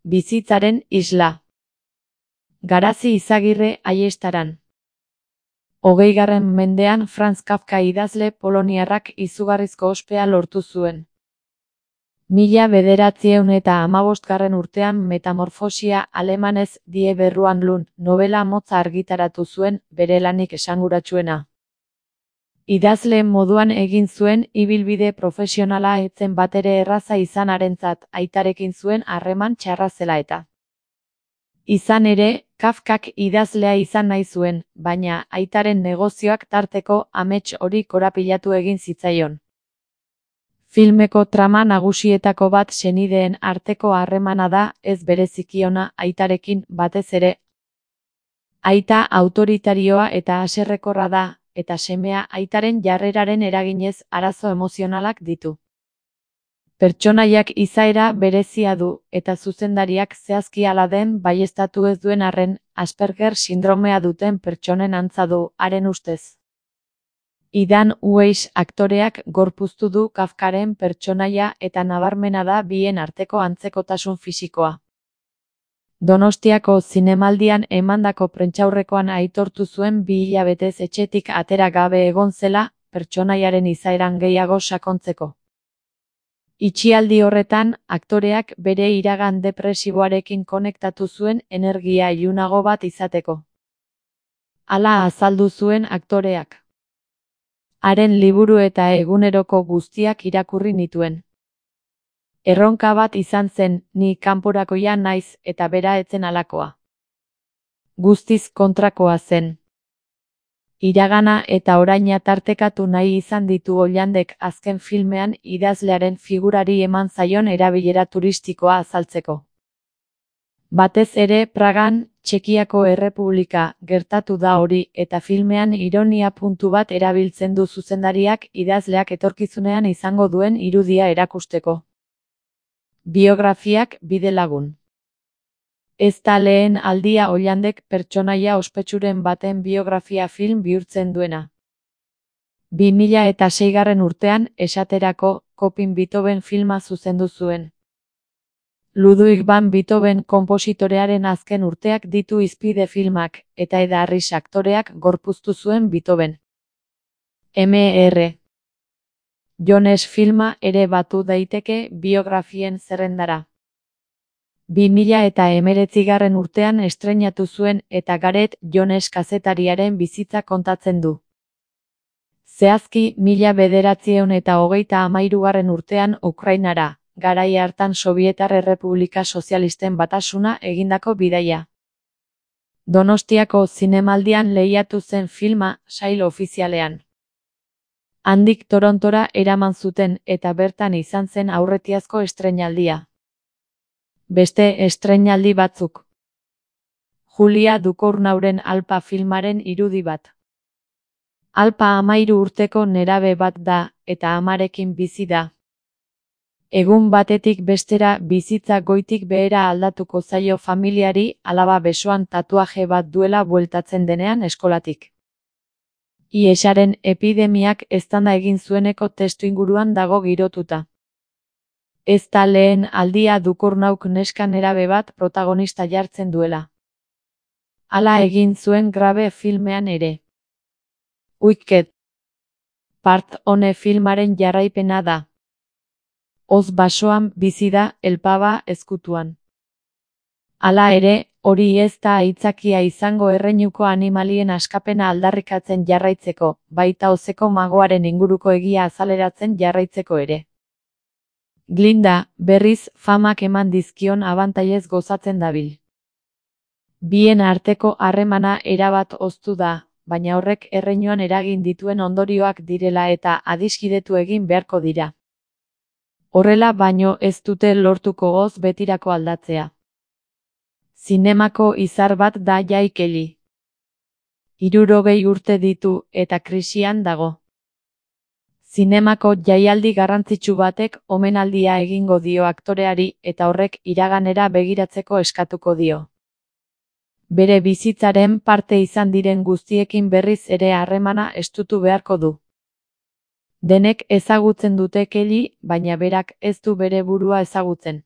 Bizitzaren isla. Garazi Izagirre Aiestaran. 20. mendean Franz Kafka idazle poloniarrak izugarrizko ospea lortu zuen. 1915 urtean Metamorfosia alemanez Die Berruan novela motza argitaratu zuen, bere lanik esanguratsuena. Idazle moduan egin zuen ibilbide profesionala ez zen batere erraza izanarentzat, aitarekin zuen harreman txarra zela eta. Izan ere, Kafkak idazlea izan nahi zuen, baina aitaren negozioak tarteko amets hori korapilatu egin zitzaion. Filmeko trama nagusietako bat senideen arteko harremana da, ez bereziki ona aitarekin, batez ere. Aita autoritarioa eta haserrekorra da, eta semea aitaren jarreraren eraginez arazo emozionalak ditu. Pertsonaiak izaera berezia du, eta zuzendariak zehazki hala den baieztatu ez duen arren, Asperger sindromea duten pertsonen antza du, haren ustez. Idan Weiss aktoreak gorpuztu du Kafkaren pertsonaia eta nabarmena da bien arteko antzekotasun fisikoa. Donostiako Zinemaldian emandako prentsaurrekoan aitortu zuen 2 hilabetez etxetik atera gabe egon zela, pertsonaiaren izaeran gehiago sakontzeko. Itxialdi horretan, aktoreak bere iragan depresiboarekin konektatu zuen energia ilunago bat izateko. Hala azaldu zuen aktoreak. Haren liburu eta eguneroko guztiak irakurri nituen. Erronka bat izan zen, ni kanporakoia naiz eta bera etzen halakoa. Guztiz kontrakoa zen. Iragana eta oraina tartekatu nahi izan ditu Hollandek azken filmean idazlearen figurari eman zaion erabilera turistikoa azaltzeko. Batez ere Pragan, Txekiako Errepublika, gertatu da hori eta filmean ironia puntu bat erabiltzen du zuzendariak idazleak etorkizunean izango duen irudia erakusteko. Biografiak bidelagun. Ez da lehen aldia Hollandek pertsonaia ospetsuren baten biografia film bihurtzen duena. 2006. urtean, esaterako, Kopin Beethoven filma zuzendu zuen. Ludwig van Beethoven konpositorearen azken urteak ditu hizpide filmak, eta Eda Harris aktoreak gorpuztu zuen Beethoven. Mr. Jones filma ere batu daiteke biografien zerrendara. 2019. urtean estreinatu zuen eta Gareth Jones kazetariaren bizitza kontatzen du. Zehazki 1933. urtean Ukrainara, garai hartan Sobietar Errepublika Sozialisten Batasuna egindako bidaia. Donostiako Zinemaldian lehiatu zen filma, sail ofizialean. Handik Torontora eraman zuten eta bertan izan zen aurretiazko estreinaldia. Beste estreinaldi batzuk. Julia Ducournauren Alpa filmaren irudi bat. Alpa 13 urteko nerabe bat da, eta amarekin bizi da. Egun batetik bestera bizitza goitik behera aldatuko zaio familiari alaba besoan tatuaje bat duela bueltatzen denean eskolatik. Hiesaren epidemiak eztanda egin zueneko testuinguruan dago girotuta. Ez da lehen aldia Ducournauk neska nerabe bat protagonista jartzen duela. Hala egin zuen Grabe filmean ere. Wicked Part One filmaren jarraipena da. Oz basoan bizi da, elpaba ezkutuan. Hala ere, hori ez da aitzakia izango erreinuko animalien askapena aldarrikatzen jarraitzeko, baita ozeko magoaren inguruko egia azaleratzen jarraitzeko ere. Glinda, berriz, famak eman dizkion abantailez gozatzen dabil. Bien arteko harremana erabat hoztu da, baina horrek erreinuan eragin dituen ondorioak direla eta adiskidetu egin beharko dira. Horrela baino ez dute lortuko Oz betirako aldatzea. Zinemako izar bat da Jai Kelly. 60 urte ditu eta krisian dago. Zinemako jaialdi garrantzitsu batek omenaldia egingo dio aktoreari eta horrek iraganera begiratzeko eskatuko dio. Bere bizitzaren parte izan diren guztiekin berriz ere harremana estutu beharko du. Denek ezagutzen dute Kelly, baina berak ez du bere burua ezagutzen.